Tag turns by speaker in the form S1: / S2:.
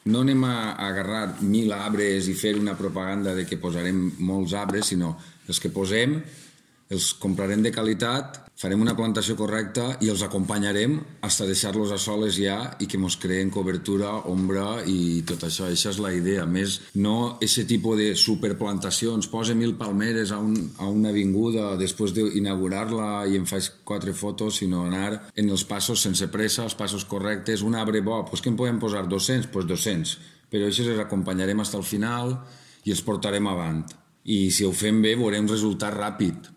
S1: no anem a agarrar 1.000 arbres i fer una propaganda de que posarem molts arbres, sinó els que posem els comprarem de qualitat, farem una plantació correcta i els acompanyarem fins a deixar-los a soles ja i que ens creen cobertura, ombra i tot això. Això és la idea. Més no aquest tipus de superplantacions. Posa 1.000 palmeres a una avinguda després d'inaugurar-la i em faig 4 fotos, sinó anar en els passos sense pressa, els passos correctes. Un arbre bo, doncs que en podem posar 200? Doncs 200. Però això els acompanyarem fins al final i els portarem avant. I si ho fem bé veurem resultat ràpid.